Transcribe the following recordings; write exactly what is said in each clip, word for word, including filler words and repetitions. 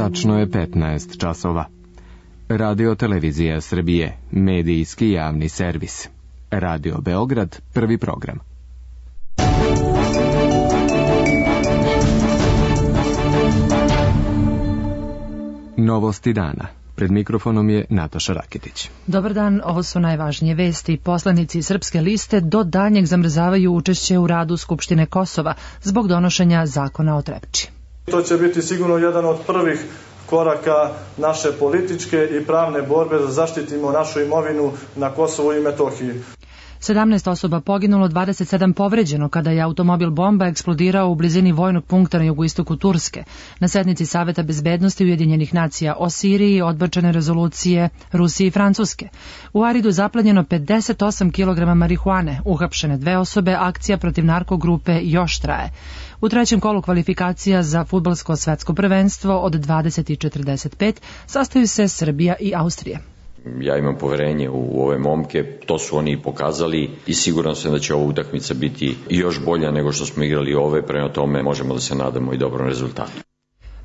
Tačno je petnaest časova. Radio Televizija Srbije, medijski javni servis. Radio Beograd, prvi program. Novosti dana. Pred mikrofonom je Nataša Raketić. Dobar dan, ovo su najvažnije vesti. Poslanici Srpske liste do daljnjeg zamrzavaju učešće u radu Skupštine Kosova zbog donošenja zakona o Trepči. To će biti sigurno jedan od prvih koraka naše političke i pravne borbe da zaštitimo našu imovinu na Kosovu i Metohiji. sedamnaest osoba poginulo, dvadeset sedam povređeno kada je automobil bomba eksplodirao u blizini vojnog punkta na jugoistoku Turske. Na sednici Saveta bezbednosti Ujedinjenih nacija o Siriji odbačene rezolucije Rusije i Francuske. U Aridu zaplenjeno pedeset osam kilograma marihuane, uhapšene dve osobe, akcija protiv narkogrupe još traje. U trećem kolu kvalifikacija za fudbalsko svetsko prvenstvo od dvadeset četrdeset pet sastaju se Srbija i Austrija. Ja imam poverenje u ove momke, to su oni i pokazali i siguran sam da će ova utakmica biti još bolja nego što smo igrali ove, prema tome možemo da se nadamo i dobrom rezultatu.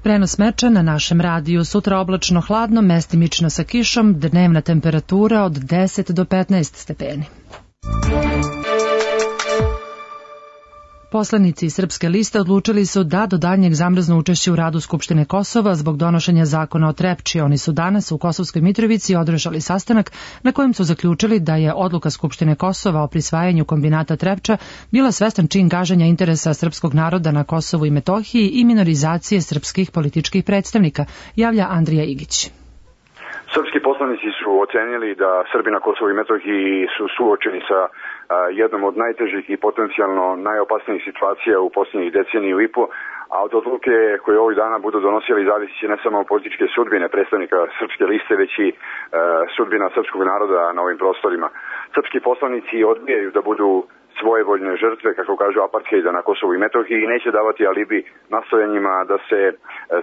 Prenos meča na našem radiju. Sutra oblačno hladno, mestimično sa kišom, dnevna temperatura od deset do petnaest stepeni. Poslanici Srpske liste odlučili su da do daljnjeg zamrznu učešće u radu Skupštine Kosova zbog donošenja zakona o Trepči. Oni su danas u Kosovskoj Mitrovici održali sastanak na kojem su zaključili da je odluka Skupštine Kosova o prisvajanju kombinata Trepča bila svestan čin gaženja interesa srpskog naroda na Kosovu i Metohiji i minorizacije srpskih političkih predstavnika, javlja Andrija Igić. Srpski poslanici su ocenili da Srbi na Kosovu i Metohiji su suočeni sa jednom od najtežih i potencijalno najopasnijih situacija u posljednjih deceniju i po, a od odluke koje ovih dana budu donosili zavisi će ne samo političke sudbine predstavnika Srpske liste, već i e, sudbina srpskog naroda na ovim prostorima. Srpski poslanici odbijaju da budu svojevoljne žrtve, kako kažu, apartheida na Kosovu i Metohiji i neće davati alibi nastojanjima da se e,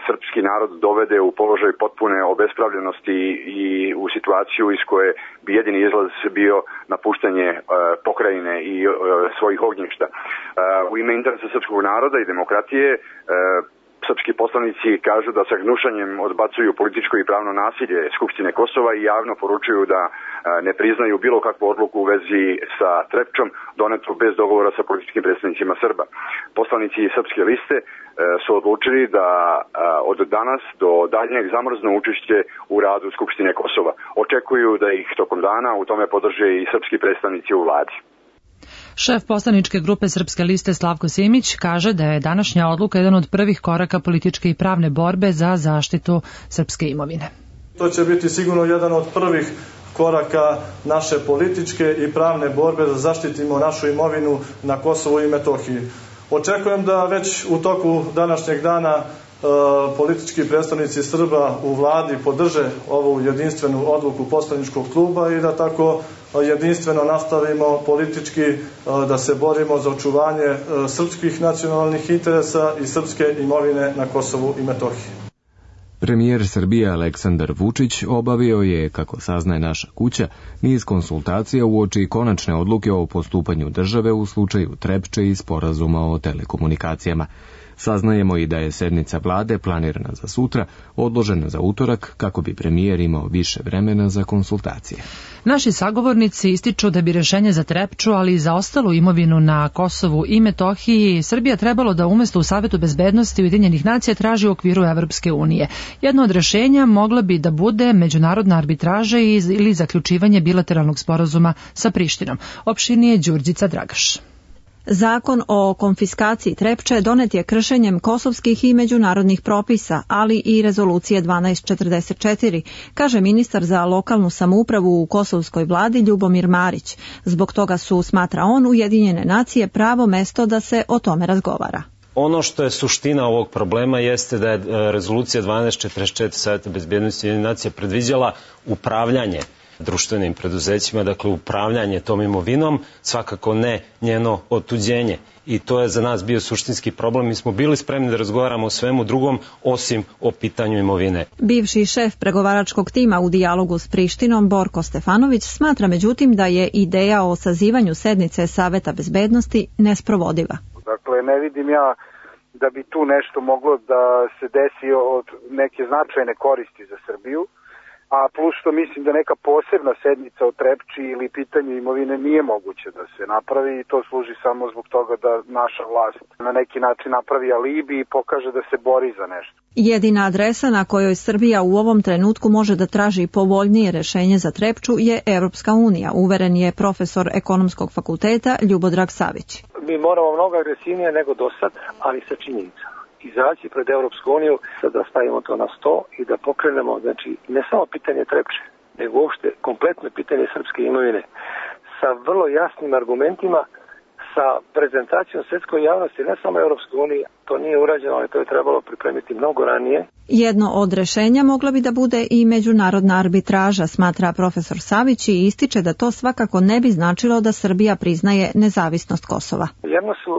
srpski narod dovede u položaj potpune obespravljenosti i u situaciju iz koje bi jedini izlaz bio napuštanje e, pokrajine i e, svojih ognjišta. E, u ime interesa srpskog naroda i demokratije e, srpski poslanici kažu da sa gnušanjem odbacuju političko i pravno nasilje Skupštine Kosova i javno poručuju da ne priznaju bilo kakvu odluku u vezi sa Trepčom donetu bez dogovora sa političkim predstavnicima Srba. Poslanici Srpske liste su odlučili da od danas do daljnjeg zamrznu učešće u radu Skupštine Kosova. Očekuju da ih tokom dana u tome podrže i srpski predstavnici u vladi. Šef poslaničke grupe Srpske liste Slavko Simić kaže da je današnja odluka jedan od prvih koraka političke i pravne borbe za zaštitu srpske imovine. To će biti sigurno jedan od prvih koraka naše političke i pravne borbe da zaštitimo našu imovinu na Kosovu i Metohiji. Očekujem da već u toku današnjeg dana e, politički predstavnici Srba u vladi podrže ovu jedinstvenu odluku poslaničkog kluba i da tako jedinstveno nastavimo politički da se borimo za očuvanje srpskih nacionalnih interesa i srpske imovine na Kosovu i Metohiji. Premijer Srbije Aleksandar Vučić obavio je, kako saznaje naša kuća, niz konsultacija uoči konačne odluke o postupanju države u slučaju Trepče i sporazuma o telekomunikacijama. Saznajemo i da je sednica vlade planirana za sutra, odložena za utorak kako bi premijer imao više vremena za konsultacije. Naši sagovornici ističu da bi rješenje za Trepču, ali i za ostalu imovinu na Kosovu i Metohiji Srbija trebalo da umjesto u Savetu bezbednosti Ujedinjenih nacija traži u okviru Evropske unije. Jedno od rješenja mogla bi da bude međunarodna arbitraža ili zaključivanje bilateralnog sporazuma sa Prištinom. Opširnije Đurđica Dragaš. Zakon o konfiskaciji Trepče donet je kršenjem kosovskih i međunarodnih propisa, ali i rezolucije dvanaest četrdeset četiri, kaže ministar za lokalnu samoupravu u kosovskoj vladi Ljubomir Marić. Zbog toga su, smatra on, Ujedinjene nacije pravo mesto da se o tome razgovara. Ono što je suština ovog problema jeste da je rezolucija dvanaest četrdeset četiri Saveta bezbednosti Ujedinjenih nacija predviđala upravljanje društvenim preduzećima, dakle upravljanje tom imovinom, svakako ne njeno otuđenje. I to je za nas bio suštinski problem. Mi smo bili spremni da razgovaramo o svemu drugom, osim o pitanju imovine. Bivši šef pregovaračkog tima u dijalogu s Prištinom, Borko Stefanović, smatra međutim da je ideja o sazivanju sednice Saveta bezbednosti nesprovodiva. Dakle, ne vidim ja da bi tu nešto moglo da se desi od neke značajne koristi za Srbiju, a plus što mislim da neka posebna sednica o Trepči ili pitanju imovine nije moguće da se napravi i to služi samo zbog toga da naša vlast na neki način napravi alibi i pokaže da se bori za nešto. Jedina adresa na kojoj Srbija u ovom trenutku može da traži povoljnije rešenje za Trepču je Evropska unija, uveren je profesor Ekonomskog fakulteta Ljubodrag Savić. Mi moramo mnogo agresivnije nego do sad, ali sa činjenicama. Izaći pred Evropsku uniju, sad da stavimo to na sto i da pokrenemo, znači, ne samo pitanje Trepče, nego uopšte kompletno pitanje srpske imovine, sa vrlo jasnim argumentima, sa prezentacijom svetskoj javnosti, ne samo Evropske unije, to nije urađeno, ali to je trebalo pripremiti mnogo ranije. Jedno od rešenja mogla bi da bude i međunarodna arbitraža, smatra profesor Savić i ističe da to svakako ne bi značilo da Srbija priznaje nezavisnost Kosova. Jedno su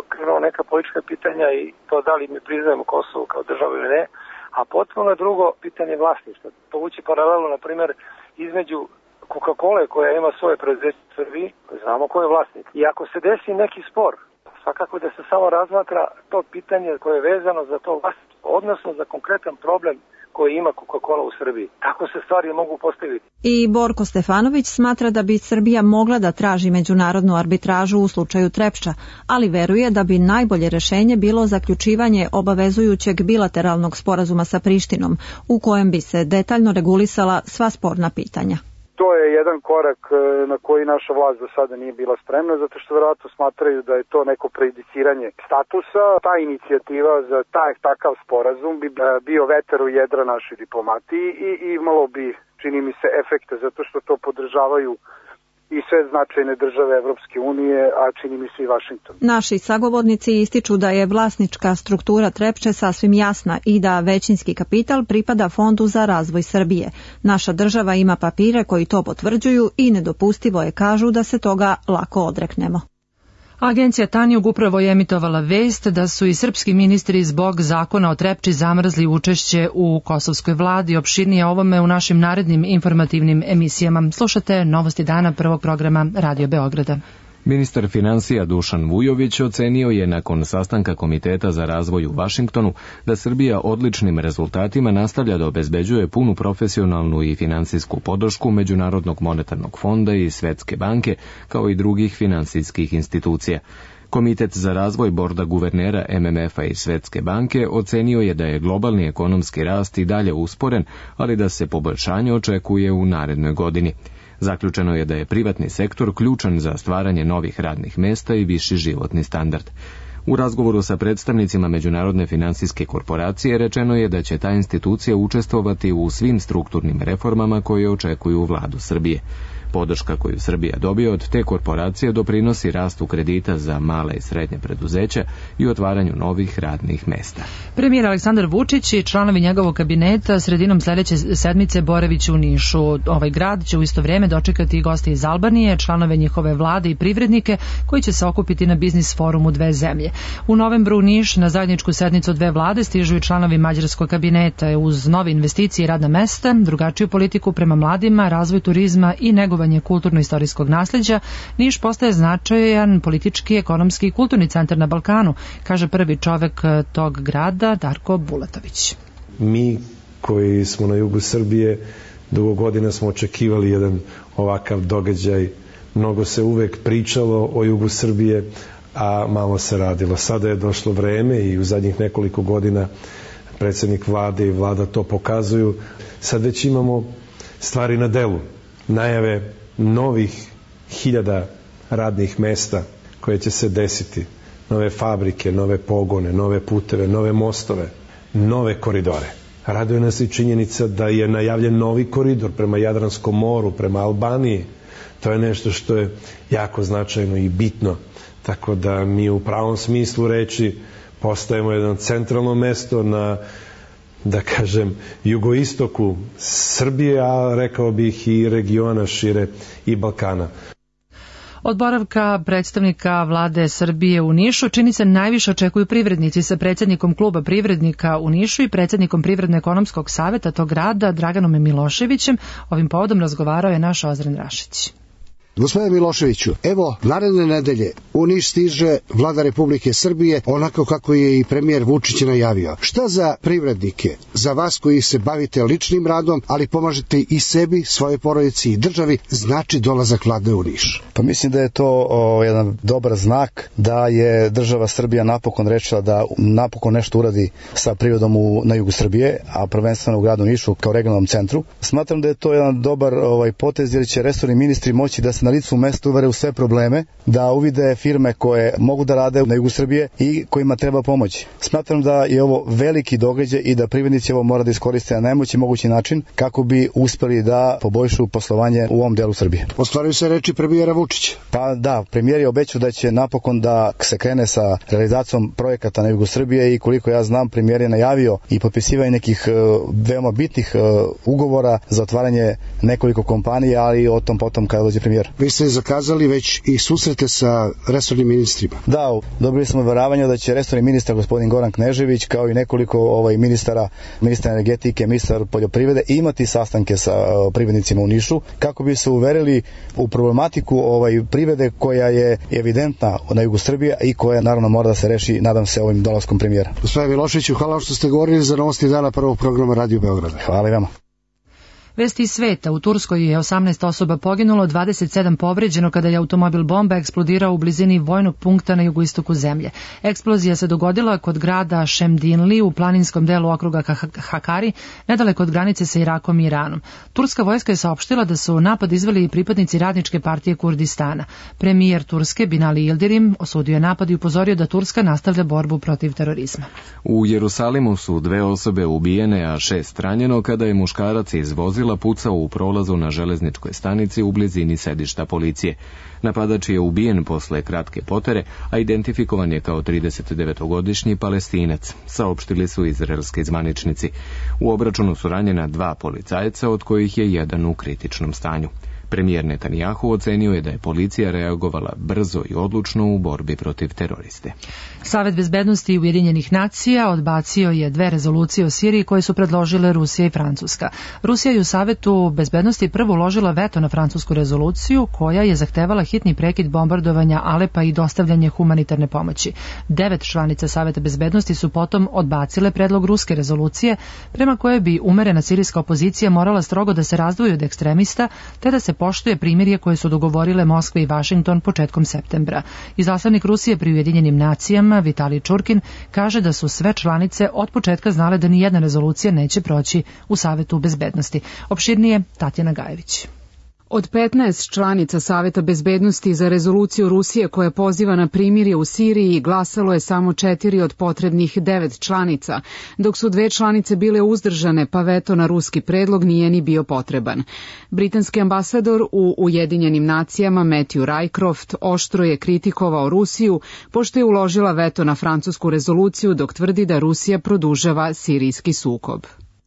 neka politička pitanja i to da li mi priznajemo Kosovo kao državu ili ne, a potpuno drugo pitanje vlasništva. Povući paralelu, na primjer, između Coca-Cola koja ima svoje preduzeće u Srbiji, znamo ko je vlasnik. I ako se desi neki spor, svakako da se samo razmatra to pitanje koje je vezano za to vlasništvo, odnosno za konkretan problem koji ima Coca-Cola u Srbiji. Tako se stvari mogu postaviti. I Borko Stefanović smatra da bi Srbija mogla da traži međunarodnu arbitražu u slučaju Trepča, ali veruje da bi najbolje rešenje bilo zaključivanje obavezujućeg bilateralnog sporazuma sa Prištinom, u kojem bi se detaljno regulisala sva sporna pitanja. To je jedan korak na koji naša vlast do sada nije bila spremna, zato što vjerojatno smatraju da je to neko prejudiciranje statusa. Ta inicijativa za taj takav sporazum bi bio vetar u jedra našoj diplomatiji i imalo bi, čini mi se, efekte, zato što to podržavaju i sve značajne države Evropske unije, a čini mi se i Vašington. Naši sagovornici ističu da je vlasnička struktura Trepče sasvim jasna i da većinski kapital pripada Fondu za razvoj Srbije. Naša država ima papire koji to potvrđuju i nedopustivo je, kažu, da se toga lako odreknemo. Agencija Tanjug upravo je emitovala vest da su i srpski ministri zbog zakona o Trepči zamrzli učešće u kosovskoj vladi. Opširnije ovome u našim narednim informativnim emisijama. Slušate Novosti dana prvog programa Radio Beograda. Ministar finansija Dušan Vujović ocenio je nakon sastanka Komiteta za razvoj u Vašingtonu da Srbija odličnim rezultatima nastavlja da obezbeđuje punu profesionalnu i finansijsku podršku Međunarodnog monetarnog fonda i Svetske banke, kao i drugih finansijskih institucija. Komitet za razvoj borda guvernera M M F-a i Svetske banke ocenio je da je globalni ekonomski rast i dalje usporen, ali da se poboljšanje očekuje u narednoj godini. Zaključeno je da je privatni sektor ključan za stvaranje novih radnih mesta i viši životni standard. U razgovoru sa predstavnicima Međunarodne finansijske korporacije rečeno je da će ta institucija učestvovati u svim strukturnim reformama koje očekuju vladu Srbije. Podrška koju Srbija dobije od te korporacije doprinosi rastu kredita za male i srednje preduzeća i otvaranju novih radnih mesta. Premijer Aleksandar Vučić i članovi njegovog kabineta sredinom sledeće sedmice boraviće u Nišu. Ovaj grad će u isto vrijeme dočekati i goste iz Albanije, članove njihove vlade i privrednike koji će se okupiti na biznis forumu dve zemlje. U novembru u Niš na zajedničku sednicu dve vlade stižu i članovi mađarskog kabineta uz nove investicije i radna mesta, drugačiju politiku prema mladima, razvoj turizma i negovanje kulturno-istorijskog nasleđa. Niš postaje značajan politički, ekonomski i kulturni centar na Balkanu, kaže prvi čovek tog grada Darko Bulatović. Mi koji smo na jugu Srbije dugo godina smo očekivali jedan ovakav događaj. Mnogo se uvek pričalo o jugu Srbije, a malo se radilo. Sada je došlo vreme i u zadnjih nekoliko godina predsjednik vlade i vlada to pokazuju. Sad već imamo stvari na delu. Najave novih hiljada radnih mesta koje će se desiti. Nove fabrike, nove pogone, nove puteve, nove mostove, nove koridore. Raduje nas i činjenica da je najavljen novi koridor prema Jadranskom moru, prema Albaniji. To je nešto što je jako značajno i bitno. Tako da mi u pravom smislu reči postajemo jedno centralno mesto na, da kažem, jugoistoku Srbije, a rekao bih i regiona šire i Balkana. Od boravka predstavnika vlade Srbije u Nišu čini se najviše očekuju privrednici. Sa predsjednikom kluba privrednika u Nišu i predsjednikom Privredno-ekonomskog saveta tog grada Draganom Miloševićem ovim povodom razgovarao je naš Ozren Rašić. Gospodine Miloševiću, evo, naredne nedelje u Niš stiže vlada Republike Srbije, onako kako je i premijer Vučić najavio. Šta za privrednike, za vas koji se bavite ličnim radom, ali pomažete i sebi, svoje porodici i državi, znači dolazak vlade u Niš? Pa mislim da je to o, jedan dobar znak da je država Srbija napokon rečila da napokon nešto uradi sa privredom u, na jugu Srbije, a prvenstveno u gradu Nišu kao regionalnom centru. Smatram da je to jedan dobar ovaj, potez jer će resorni ministri moći da se na licu mesta uvere u sve probleme, da uvide firme koje mogu da rade na jugu Srbije i kojima treba pomoći. Smatram da je ovo veliki događaj i da privrednici ovo mora da iskoriste na najmoći mogući način kako bi uspeli da poboljšu poslovanje u ovom delu Srbije. Ostvaruju se reči premijera Vučića. Pa da, premijer je obećao da će napokon da se krene sa realizacijom projekata na jugu Srbije i koliko ja znam, premijer je najavio i potpisivanje nekih uh, veoma bitnih uh, ugovora za otvaranje nekoliko kompanija, ali o tom potom kada dođe premijer. Vi ste zakazali već i susrete sa resornim ministrima. Da, dobili smo verovanje da će resorni ministar gospodin Goran Knežević kao i nekoliko ovaj ministara, ministar energetike, ministar poljoprivrede imati sastanke sa uh, privrednicima u Nišu kako bi se uverili u problematiku ovaj privrede koja je evidentna na jugu Srbije i koja naravno mora da se reši, nadam se, ovim dolaskom premijera. Gospodine Miloševiću, hvala što ste govorili za Novosti dana prvog programa Radio Beograda. Hvala i vama. Vesti iz sveta. U Turskoj je osamnaest osoba poginulo, dvadeset sedam povređeno kada je automobil bomba eksplodirao u blizini vojnog punkta na jugoistoku zemlje. Eksplozija se dogodila kod grada Šemdinli u planinskom delu okruga Hakari, nedaleko od granice sa Irakom i Iranom. Turska vojska je saopštila da su napad izveli i pripadnici radničke partije Kurdistana. Premijer Turske Binali Yildirim osudio je napad i upozorio da Turska nastavlja borbu protiv terorizma. U Jerusalimu su dve osobe ubijene, a šest ranjeno kada je muškarac iz vozila pucao u prolazu na železničkoj stanici u blizini sedišta policije. Napadač je ubijen posle kratke potere, a identifikovan je kao tridesetdevetogodišnji Palestinac, saopštili su izraelski zvaničnici. U obračunu su ranjena dva policajca, od kojih je jedan u kritičnom stanju. Premijer Netanjahu ocenio je da je policija reagovala brzo i odlučno u borbi protiv teroriste. Savet bezbednosti Ujedinjenih nacija odbacio je dve rezolucije o Siriji koje su predložile Rusija i Francuska. Rusija je u Savetu bezbednosti prvo uložila veto na francusku rezoluciju koja je zahtevala hitni prekid bombardovanja Alepa i dostavljanje humanitarne pomoći. Devet članica Saveta bezbednosti su potom odbacile predlog ruske rezolucije prema kojoj bi umerena sirijska opozicija morala strogo da se razdvoji od ekstremista te da se poštuje primirje koje su dogovorile Moskva i Vašington početkom septembra. Izaslanik Rusije pri Ujedinjenim nacijama Vitalij Čurkin kaže da su sve članice od početka znale da ni jedna rezolucija neće proći u Savetu bezbednosti. Opširnije Tatjana Gajević. Od petnaest članica Saveta bezbednosti za rezoluciju Rusije koja poziva na primirje u Siriji glasalo je samo četiri od potrebnih devet članica, dok su dve članice bile uzdržane, pa veto na ruski predlog nije ni bio potreban. Britanski ambasador u Ujedinjenim nacijama Matthew Rycroft oštro je kritikovao Rusiju pošto je uložila veto na francusku rezoluciju dok tvrdi da Rusija produžava sirijski sukob.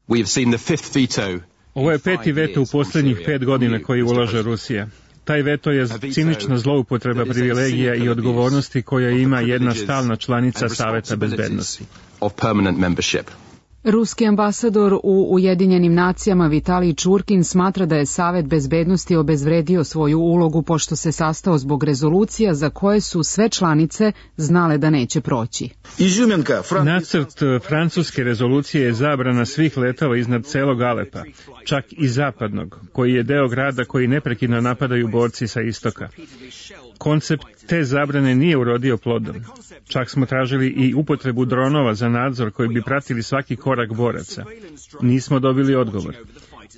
We have seen the fifth veto. Ovo je peti veto u posljednjih pet godina koji ulaže Rusija. Taj veto je cinična zloupotreba privilegija i odgovornosti koja ima jedna stalna članica Saveta bezbednosti. Ruski ambasador u Ujedinjenim nacijama Vitalij Čurkin smatra da je Savet bezbednosti obezvredio svoju ulogu pošto se sastao zbog rezolucija za koje su sve članice znale da neće proći. Nacrt francuske rezolucije je zabrana svih letova iznad celog Alepa, čak i zapadnog, koji je deo grada koji neprekidno napadaju borci sa istoka. Koncept te zabrane nije urodio plodom. Čak smo tražili i upotrebu dronova za nadzor koji bi pratili svaki korak boraca. Nismo dobili odgovor.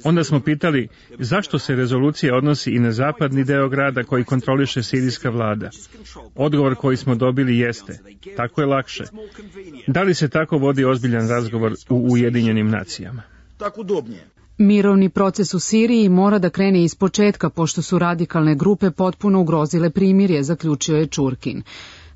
Onda smo pitali zašto se rezolucija odnosi i na zapadni deo grada koji kontroliše sirijska vlada. Odgovor koji smo dobili jeste, tako je lakše. Da li se tako vodi ozbiljan razgovor u Ujedinjenim nacijama? Tako udobnije. Mirovni proces u Siriji mora da krene iz početka pošto su radikalne grupe potpuno ugrozile primirje, zaključio je Čurkin.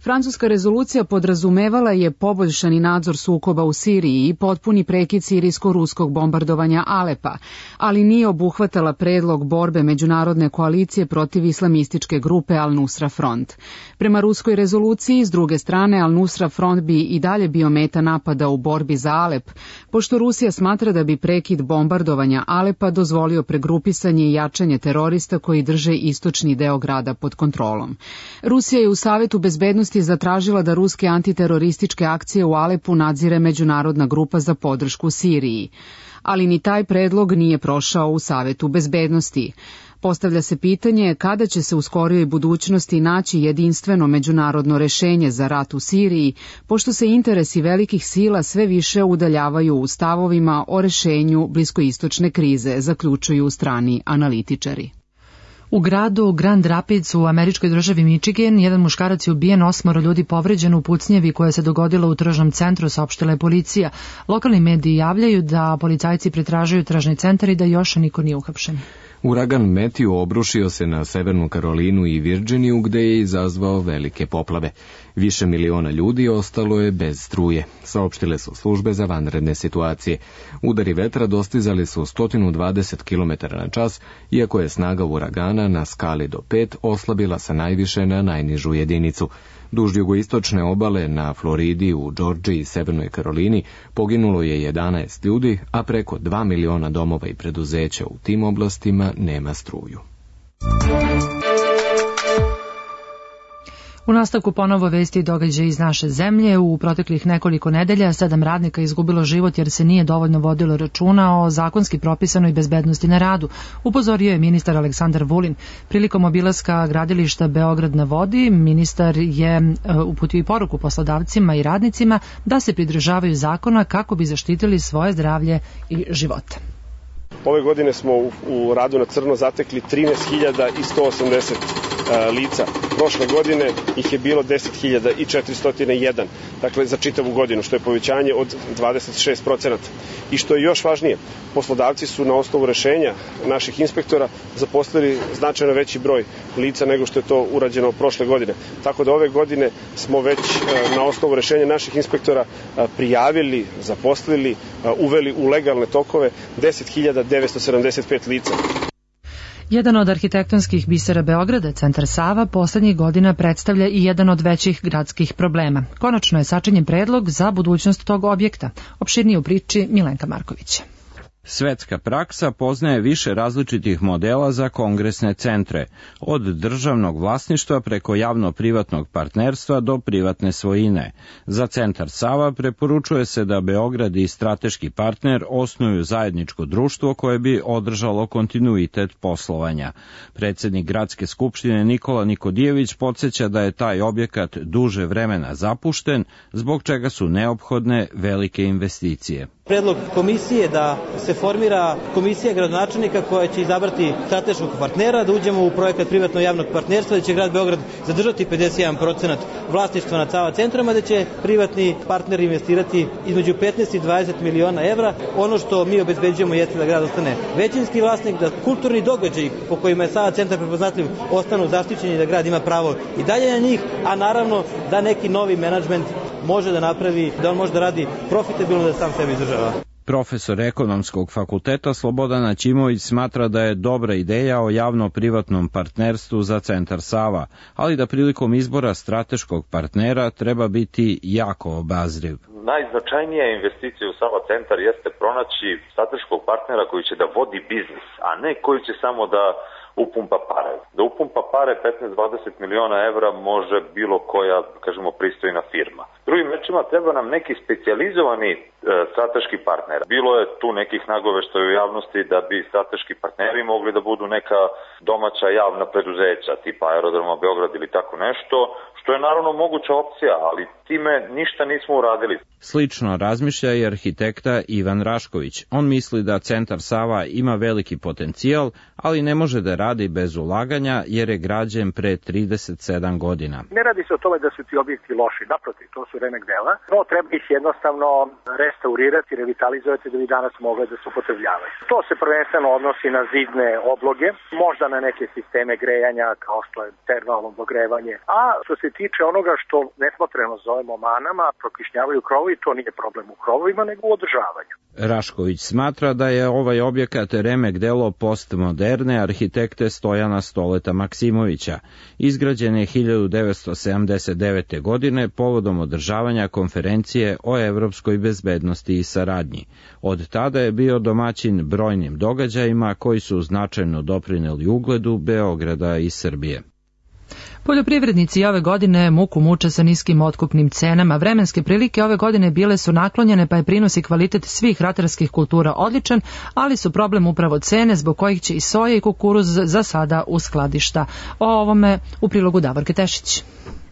Francuska rezolucija podrazumevala je poboljšani nadzor sukoba u Siriji i potpuni prekid sirijsko-ruskog bombardovanja Alepa, ali nije obuhvatala predlog borbe međunarodne koalicije protiv islamističke grupe Al-Nusra Front. Prema ruskoj rezoluciji, s druge strane, Al-Nusra Front bi i dalje bio meta napada u borbi za Alep, pošto Rusija smatra da bi prekid bombardovanja Alepa dozvolio pregrupisanje i jačanje terorista koji drže istočni deo grada pod kontrolom. Rusija je u Savetu bezbednosti zatražila da ruske antiterorističke akcije u Alepu nadzire međunarodna grupa za podršku Siriji, ali ni taj predlog nije prošao u Savetu bezbednosti. Postavlja se pitanje kada će se u skorijoj budućnosti naći jedinstveno međunarodno rešenje za rat u Siriji, pošto se interesi velikih sila sve više udaljavaju u stavovima o rešenju bliskoistočne krize, zaključuju strani analitičari. U gradu Grand Rapids u američkoj državi Michigan jedan muškarac je ubijen, osmoro ljudi povređeno u pucnjevi koja se dogodila u tržnom centru, saopštila je policija. Lokalni mediji javljaju da policajci pretražuju tržni centar i da još niko nije uhapšen. Uragan Matthew obrušio se na Severnu Karolinu i Virginiju, gde je izazvao velike poplave. Više miliona ljudi ostalo je bez struje, saopštile su službe za vanredne situacije. Udari vetra dostizali su sto dvadeset kilometara na čas, iako je snaga uragana na skali do pet oslabila sa najviše na najnižu jedinicu. Duž jugoistočne obale na Floridi, u Džordžiji i Severnoj Karolini poginulo je jedanaest ljudi, a preko dva miliona domova i preduzeća u tim oblastima nema struju. U nastavku ponovo vesti i događaj iz naše zemlje. U proteklih nekoliko nedelja sedam radnika izgubilo život jer se nije dovoljno vodilo računa o zakonski propisanoj bezbednosti na radu, upozorio je ministar Aleksandar Vulin. Prilikom obilaska gradilišta Beograd na vodi, ministar je uputio i poruku poslodavcima i radnicima da se pridržavaju zakona kako bi zaštitili svoje zdravlje i živote. Ove godine smo u, u radu na crno zatekli trinaest hiljada sto osamdeset uh, lica. Prošle godine ih je bilo deset hiljada četiristo jedan, dakle za čitavu godinu, što je povećanje od dvadeset šest procenata. I što je još važnije, poslodavci su na osnovu rešenja naših inspektora zaposlili značajno veći broj lica nego što je to urađeno prošle godine. Tako da ove godine smo već uh, na osnovu rešenja naših inspektora uh, prijavili, zaposlili, uh, uveli u legalne tokove deset hiljada devetsto sedamdeset pet lica. Jedan od arhitektonskih bisera Beograda, centar Sava, poslednjih godina predstavlja i jedan od većih gradskih problema. Konačno je sačinjen predlog za budućnost tog objekta. Opširnije u priči Milenka Markovića. Svetska praksa poznaje više različitih modela za kongresne centre, od državnog vlasništva preko javno-privatnog partnerstva do privatne svojine. Za centar Sava preporučuje se da Beograd i strateški partner osnuju zajedničko društvo koje bi održalo kontinuitet poslovanja. Predsednik Gradske skupštine Nikola Nikodijević podsjeća da je taj objekat duže vremena zapušten, zbog čega su neophodne velike investicije. Predlog komisije da se formira komisija gradonačelnika koja će izabrati strateškog partnera, da uđemo u projekat privatno-javnog partnerstva, da će grad Beograd zadržati pedeset jedan procenat vlasništva nad Sava centrom, a da će privatni partner investirati između petnaest i dvadeset miliona evra. Ono što mi obezbeđujemo jeste da grad ostane većinski vlasnik, da kulturni događaji po kojima je Sava centar prepoznatljiv ostanu zaštićeni, da grad ima pravo i dalje na njih, a naravno da neki novi menadžment može da napravi, da on može da radi profitabilno, da sam sebi izdržava. Profesor ekonomskog fakulteta Slobodan Aćimović smatra da je dobra ideja o javno-privatnom partnerstvu za centar Sava, ali da prilikom izbora strateškog partnera treba biti jako obazriv. Najznačajnija investicija u Sava centar jeste pronaći strateškog partnera koji će da vodi biznis, a ne koji će samo da upumpa pare. Da upumpa pare petnaest do dvadeset miliona evra može bilo koja, kažemo, pristojna firma. Drugim rečima, treba nam neki specijalizovani e, strateški partner. Bilo je tu nekih nagoveštaja u javnosti da bi strateški partneri mogli da budu neka domaća javna preduzeća, tipa Aerodroma Beograd ili tako nešto, što je naravno moguća opcija, ali time ništa nismo uradili. Slično razmišlja i arhitekta Ivan Rašković. On misli da centar Sava ima veliki potencijal, ali ne može da radi bez ulaganja jer je građen pre trideset sedam godina. Ne radi se o tome da su ti objekti loši, naprotiv, to su remek dela, no treba ih jednostavno restaurirati, revitalizovati da bi danas mogle da se upotrebljavaju. To se prvenstveno odnosi na zidne obloge, možda na neke sisteme grejanja kao što je termalno dogrevanje, a što se tiče onoga što nesmotreno zovemo manama, prokišnjavaju krovovi, to nije problem u krovovima nego u održavanju. Rašković smatra da je ovaj objekat remek delo postmoderne arhitekte Stojana Stoleta Maksimovića. Izgrađen je hiljadu devetsto sedamdeset devete. godine povodom održavanja konferencije o evropskoj bezbednosti i saradnji. Od tada je bio domaćin brojnim događajima koji su značajno doprineli ugledu Beograda i Srbije. Poljoprivrednici ove godine muku muče sa niskim otkupnim cenama. Vremenske prilike ove godine bile su naklonjene, pa je prinos i kvalitet svih ratarskih kultura odličan, ali su problem upravo cene zbog kojih će i soja i kukuruz za sada u skladišta. O ovome u prilogu Davorke Tešić.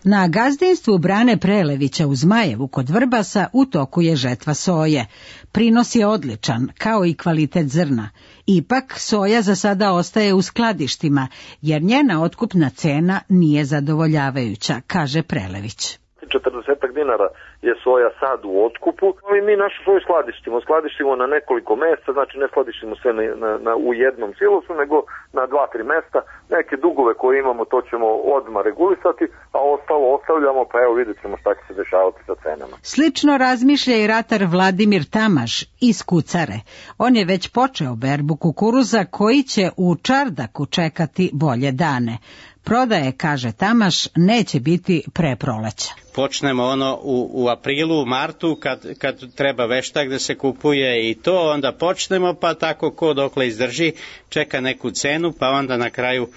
Na gazdinstvu Brane Prelevića u Zmajevu kod Vrbasa u toku je žetva soje. Prinos je odličan, kao i kvalitet zrna. Ipak, soja za sada ostaje u skladištima, jer njena otkupna cena nije zadovoljavajuća, kaže Prelević. četrdeset dinara je soja sad u otkupu, ali mi našu soju skladištimo. Skladištimo na nekoliko mesta, znači ne skladištimo sve na, na, na, u jednom silosu, nego na dva, tri mesta. Neke dugove koje imamo, to ćemo odmah regulisati, a ostalo ostavljamo, pa evo vidjet ćemo šta će se dešavati sa cenama. Slično razmišlja i ratar Vladimir Tamaš iz Kucare. On je već počeo berbu kukuruza koji će u Čardaku čekati bolje dane. Prodaje, kaže Tamaš, neće biti pre proleća. Počnemo ono u, u aprilu, u martu, kad, kad treba veštak da se kupuje i to, onda počnemo, pa tako ko dokle izdrži, čeka neku cenu, pa onda na kraju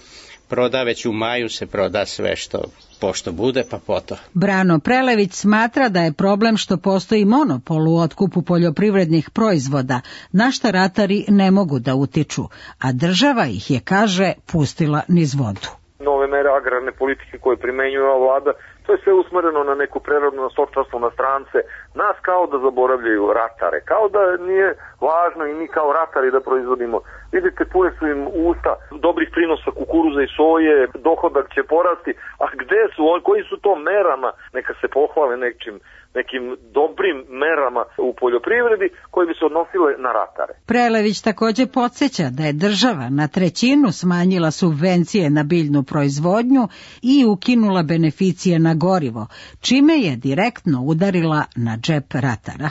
proda, već u maju se proda sve što pošto bude, pa poto. Brano Prelević smatra da je problem što postoji monopol u otkupu poljoprivrednih proizvoda, na šta ratari ne mogu da utiču, a država ih je, kaže, pustila niz vodu. Nove mere agrarne politike koje primenjuje ova vlada, to je sve usmereno na neku preradu, na stočarstvo, na strance. Nas kao da zaboravljaju ratare, kao da nije važno i mi kao ratari da proizvodimo. Vidite, pune su im usta dobrih prinosa kukuruza i soje, dohodak će porasti, a gde su oni, koji su to merama, neka se pohvale nečim, nekim dobrim merama u poljoprivredi koje bi se odnosile na ratare. Prelević također podsjeća da je država na trećinu smanjila subvencije na biljnu proizvodnju i ukinula beneficije na gorivo, čime je direktno udarila na džep ratara.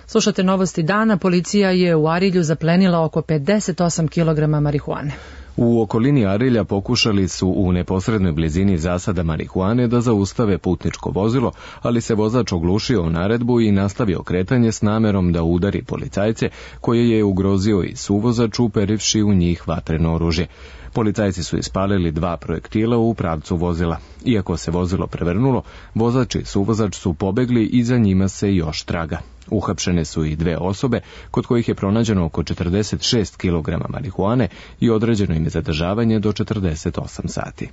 Slušate novosti dana. Policija je u Arilju zaplenila oko pedeset osam kilograma marihuane. U okolini Arilja pokušali su u neposrednoj blizini zasada marihuane da zaustave putničko vozilo, ali se vozač oglušio o naredbu i nastavio kretanje s namerom da udari policajce, koje je ugrozio i suvozač uperivši u njih vatreno oružje. Policajci su ispalili dva projektila u pravcu vozila. Iako se vozilo prevrnulo, vozač i suvozač su pobegli i za njima se još traga. Uhapšene su i dve osobe, kod kojih je pronađeno oko četrdeset šest kilograma marihuane i određeno im je zadržavanje do četrdeset osam sati.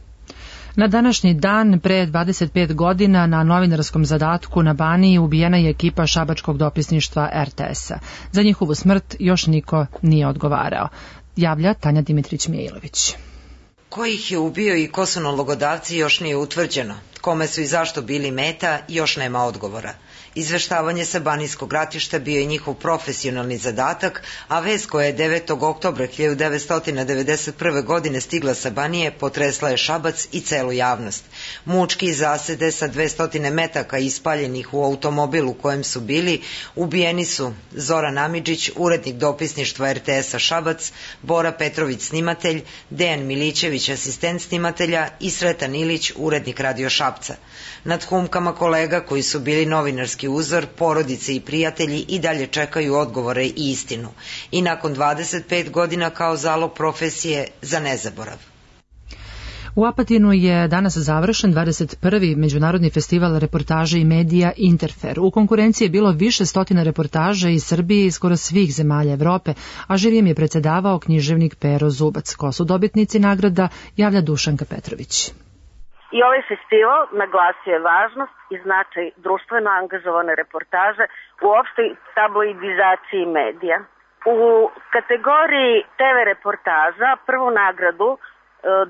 Na današnji dan pre dvadeset pet godina na novinarskom zadatku na Baniji ubijena je ekipa šabačkog dopisništva er te es a. Za njihovu smrt još niko nije odgovarao. Javlja Tanja Dimitrić-Mijailović. Ko ih je ubio i ko su nalogodavci još nije utvrđeno. Kome su i zašto bili meta još nema odgovora. Izveštavanje sa banijskog ratišta bio je njihov profesionalni zadatak, a vest koja je devetog oktobra hiljadu devetsto devedeset prve. godine stigla sa Banije potresla je Šabac i celu javnost. Mučki i zasede sa dvesta metaka ispaljenih u automobilu u kojem su bili ubijeni su Zoran Amidžić, urednik dopisništva er te es a Šabac, Bora Petrović, snimatelj, Dejan Milićević, asistent snimatelja i Sretan Ilić, urednik Radio Šapca. Nad humkama kolega koji su bili novinarski uzor, porodice i prijatelji i dalje čekaju odgovore i istinu. I nakon dvadeset pet godina kao zalog profesije za nezaborav. U Apatinu je danas završen dvadeset prvi međunarodni festival reportaže i medija Interfer. U konkurenciji je bilo više stotina reportaža iz Srbije i skoro svih zemalja Evrope, a žirijem je predsedavao književnik Pero Zubac. Ko su dobitnici nagrada, javlja Dušanka Petrović. I ovaj festival naglasio je važnost i značaj društveno angažovane reportaže u opštoj tabloidizaciji medija. U kategoriji te ve reportaža prvu nagradu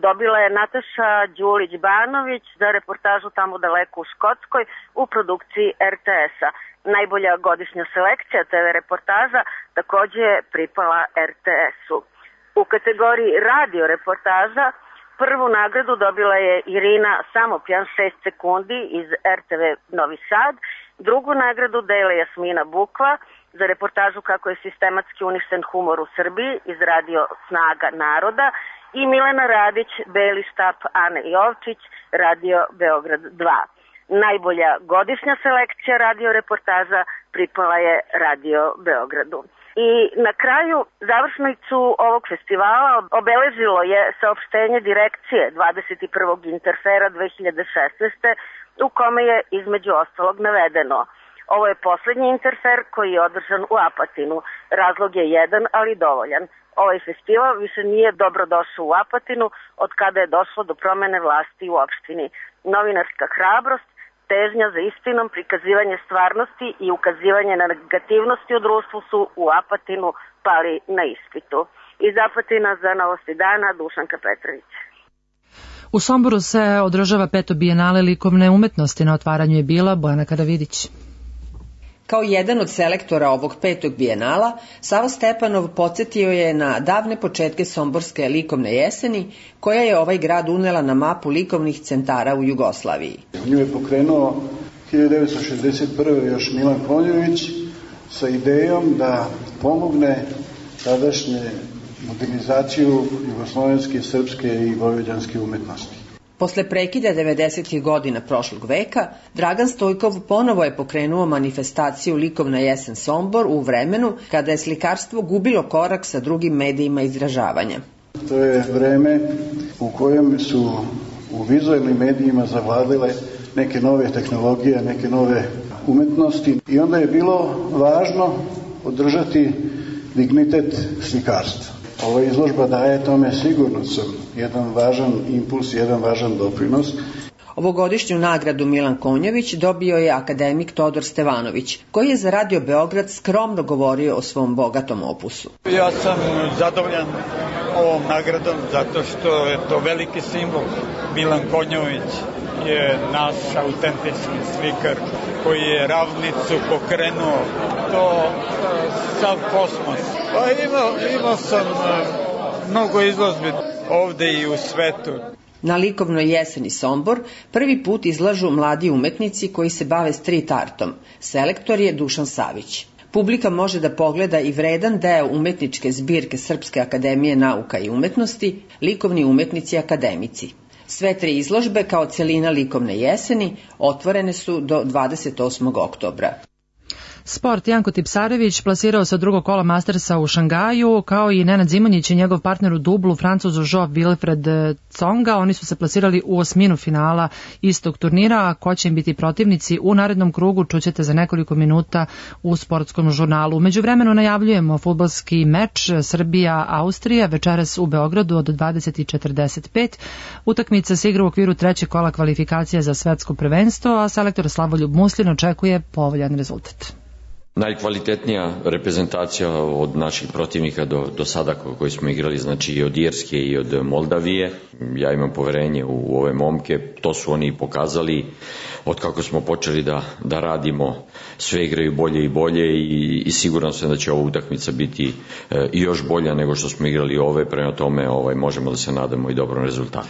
dobila je Nataša Đulić-Banović za reportažu Tamo daleko u Škotskoj u produkciji er te es-a. Najbolja godišnja selekcija te ve reportaža takođe je pripala er te es-u. U kategoriji radio reportaža prvu nagradu dobila je Irina Samopjan šest sekundi iz er te ve Novi Sad, drugu nagradu dele Jasmina Bukva za reportažu kako je sistematski uništen humor u Srbiji iz radio Snaga naroda i Milena Radić, Beli štap Ane Jovčić, radio Beograd dva. Najbolja godišnja selekcija radio reportaža pripala je radio Beogradu. I na kraju završnicu ovog festivala obeležilo je saopštenje direkcije dvadeset prvog Interfera dve hiljade šesnaeste. u kome je između ostalog navedeno: ovo je poslednji Interfer koji je održan u Apatinu. Razlog je jedan, ali dovoljan. Ovaj festival više nije dobro došao u Apatinu od kada je došlo do promene vlasti u opštini. Novinarska hrabrost, težnja za istinom, prikazivanje stvarnosti i ukazivanje na negativnosti u društvu su u Apatinu pali na ispitu. Iz Apatina za Novosti dana, Dušanka Petrović. U Somboru se održava peto bijenale likovne umetnosti. Na otvaranju je bila Bojana Karavidić. Kao jedan od selektora ovog petog bijenala, Savo Stepanov podsjetio je na davne početke somborske likovne jeseni, koja je ovaj grad unela na mapu likovnih centara u Jugoslaviji. Nju je pokrenuo hiljadu devetsto šezdeset prve još Milan Konjović sa idejom da pomogne tadašnje modernizaciju jugoslovenske, srpske i vojvođanske umetnosti. Posle prekida devedesetih godina prošlog veka, Dragan Stojkov ponovo je pokrenuo manifestaciju Likovna jesen Sombor u vremenu kada je slikarstvo gubilo korak sa drugim medijima izražavanja. To je vreme u kojem su u vizualnim medijima zavladile neke nove tehnologije, neke nove umetnosti i onda je bilo važno održati dignitet slikarstva. Ova izložba daje tome sigurno sam jedan važan impuls, jedan važan doprinos. Ovogodišnju nagradu Milan Konjović dobio je akademik Todor Stevanović, koji je za Radio Beograd skromno govorio o svom bogatom opusu. Ja sam zadovoljan ovom nagradom zato što je to veliki simbol. Milan Konjović je naš autentični slikar koji je ravnicu pokrenuo. To sav kosmos. Pa imao, imao sam mnogo izložbi ovde i u svetu. Na likovnoj jeseni Sombor prvi put izlažu mladi umetnici koji se bave street artom. Selektor je Dušan Savić. Publika može da pogleda i vredan deo umetničke zbirke Srpske akademije nauka i umetnosti, likovni umetnici akademici. Sve tri izložbe kao celina likovne jeseni otvorene su do dvadeset osmog oktobra. Sport. Janko Tipsarević plasirao se od drugog kola Mastersa u Šangaju, kao i Nenad Zimonjić i njegov partner u dublu, Francuzu Jo Wilfred Tsonga. Oni su se plasirali u osminu finala istog turnira, a ko će im biti protivnici u narednom krugu čućete za nekoliko minuta u sportskom žurnalu. U međuvremenu najavljujemo fudbalski meč Srbija-Austrija večeras u Beogradu od dvadeset četrdeset pet. Utakmica se igra u okviru trećeg kola kvalifikacija za svetsko prvenstvo, a selektor Slavoljub Muslin očekuje povoljan rezultat. Najkvalitetnija reprezentacija od naših protivnika do, do sada koji smo igrali, znači i od Irske i od Moldavije. Ja imam poverenje u ove momke, to su oni pokazali od kako smo počeli da, da radimo, sve igraju bolje i bolje i, i siguran sam da će ova utakmica biti e, i još bolja nego što smo igrali ove, prema tome ovaj, možemo da se nadamo i dobrom rezultatu.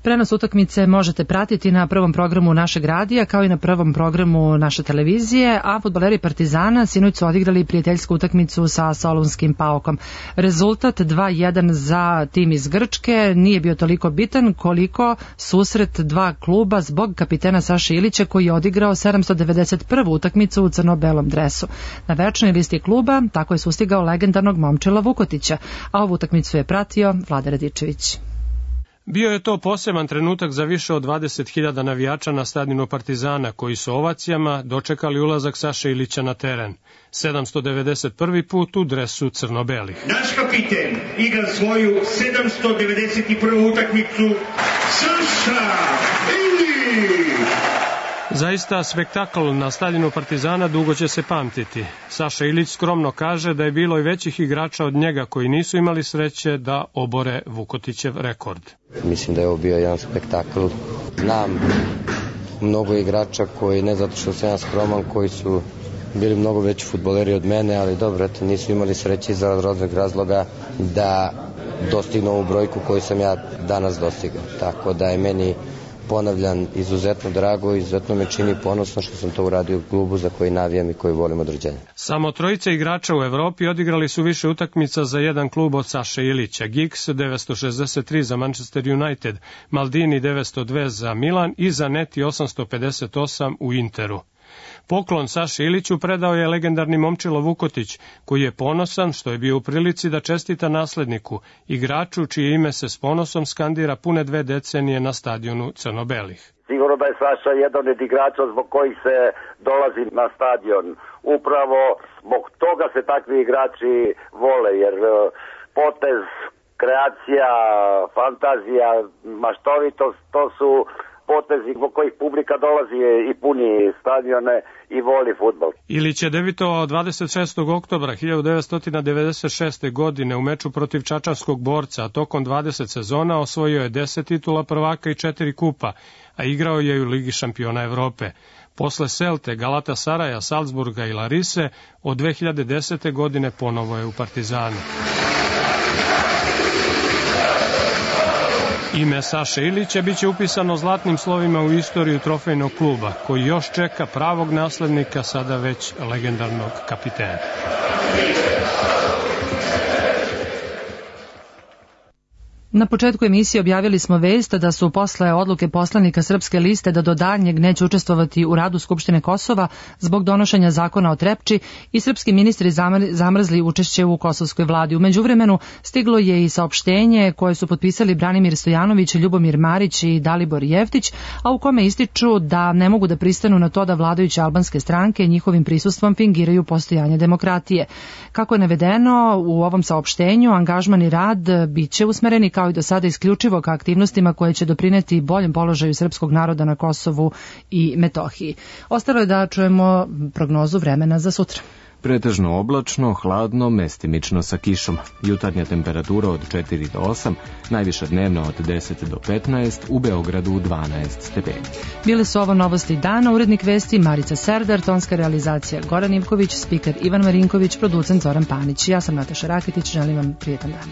Prenos utakmice možete pratiti na prvom programu našeg radija kao i na prvom programu naše televizije, a fudbaleri Partizana sinoć su odigrali prijateljsku utakmicu sa Solunskim Paokom. Rezultat dva jedan za tim iz Grčke nije bio toliko bitan koliko susret dva kluba zbog kapitena Saše Ilića koji je odigrao sedamsto devedeset prvu utakmicu u crno-belom dresu. Na večnoj listi kluba tako je sustigao legendarnog Momčila Vukotića, a ovu utakmicu je pratio Vlada Radičević. Bio je to poseban trenutak za više od dvadeset hiljada navijača na stadionu Partizana, koji su ovacijama dočekali ulazak Saše Ilića na teren. sedamsto devedeset prvi put u dresu crno-belih. Naš kapiten igra svoju sedamsto devedeset prvu utakmicu Saša Ilić! Zaista spektakl na stadionu Partizana dugo će se pamtiti. Saša Ilić skromno kaže da je bilo i većih igrača od njega koji nisu imali sreće da obore Vukotićev rekord. Mislim da je ovo bio jedan spektakl. Znam mnogo igrača koji, ne zato što sam ja skroman, koji su bili mnogo veći fudbaleri od mene, ali dobro, eto, nisu imali sreće iz raznih razloga da dostignu ovu brojku koju sam ja danas dostigao. Tako da je meni, ponavljam, izuzetno drago i izuzetno me čini ponosno što sam to uradio u klubu za koji navijam i koji volim od rođenja. Samo trojica igrača u Evropi odigrali su više utakmica za jedan klub od Saše Ilića. Giggs devetsto šezdeset tri za Manchester United, Maldini devetsto dva za Milan i Zanetti osamsto pedeset osam u Interu. Poklon Saši Iliću predao je legendarni Momčilo Vukotić, koji je ponosan što je bio u prilici da čestita nasledniku, igraču čije ime se s ponosom skandira pune dve decenije na stadionu Crno-belih. Sigurno da je Saša jedan od igrača zbog kojih se dolazi na stadion. Upravo zbog toga se takvi igrači vole, jer potez, kreacija, fantazija, maštovitost, to su potezi zbog kojih publika dolazi i puni stadione i voli fudbal. Ilić je debitovao dvadeset šestog oktobra hiljadu devetsto devedeset šeste. godine u meču protiv čačanskog Borca, a tokom dvadeset sezona osvojio je deset titula prvaka i četiri kupa, a igrao je i u Ligi šampiona Evrope. Posle Celte, Galatasaraja, Salzburga i Larise, od dve hiljade desete. godine ponovo je u Partizanu. Ime Saše Ilića biće upisano zlatnim slovima u istoriju trofejnog kluba, koji još čeka pravog naslednika, sada već legendarnog kapitena. Na početku emisije objavili smo vest da su posle odluke poslanika Srpske liste da do daljnjeg neće učestvovati u radu Skupštine Kosova zbog donošenja zakona o Trepči i srpski ministri zamrzli učešće u kosovskoj vladi. U međuvremenu stiglo je i saopštenje koje su potpisali Branimir Stojanović, Ljubomir Marić i Dalibor Jeftić, a u kome ističu da ne mogu da pristanu na to da vladajuće albanske stranke njihovim prisustvom fingiraju postojanje demokratije. Kako je navedeno u ovom saopštenju, angažman i rad biće usmereni kao i do sada isključivo ka aktivnostima koje će doprineti boljem položaju srpskog naroda na Kosovu i Metohiji. Ostalo je da čujemo prognozu vremena za sutra. Pretežno oblačno, hladno, mestimično sa kišom. Jutarnja temperatura od četiri do osam, najviša dnevna od deset do petnaest, u Beogradu dvanaest stepeni. Bile su ovo novosti dana, urednik vesti Marica Serdar, tonska realizacija Goran Ivković, spiker Ivan Marinković, producent Zoran Panić. Ja sam Nataša Raketić, želim vam prijetan dan.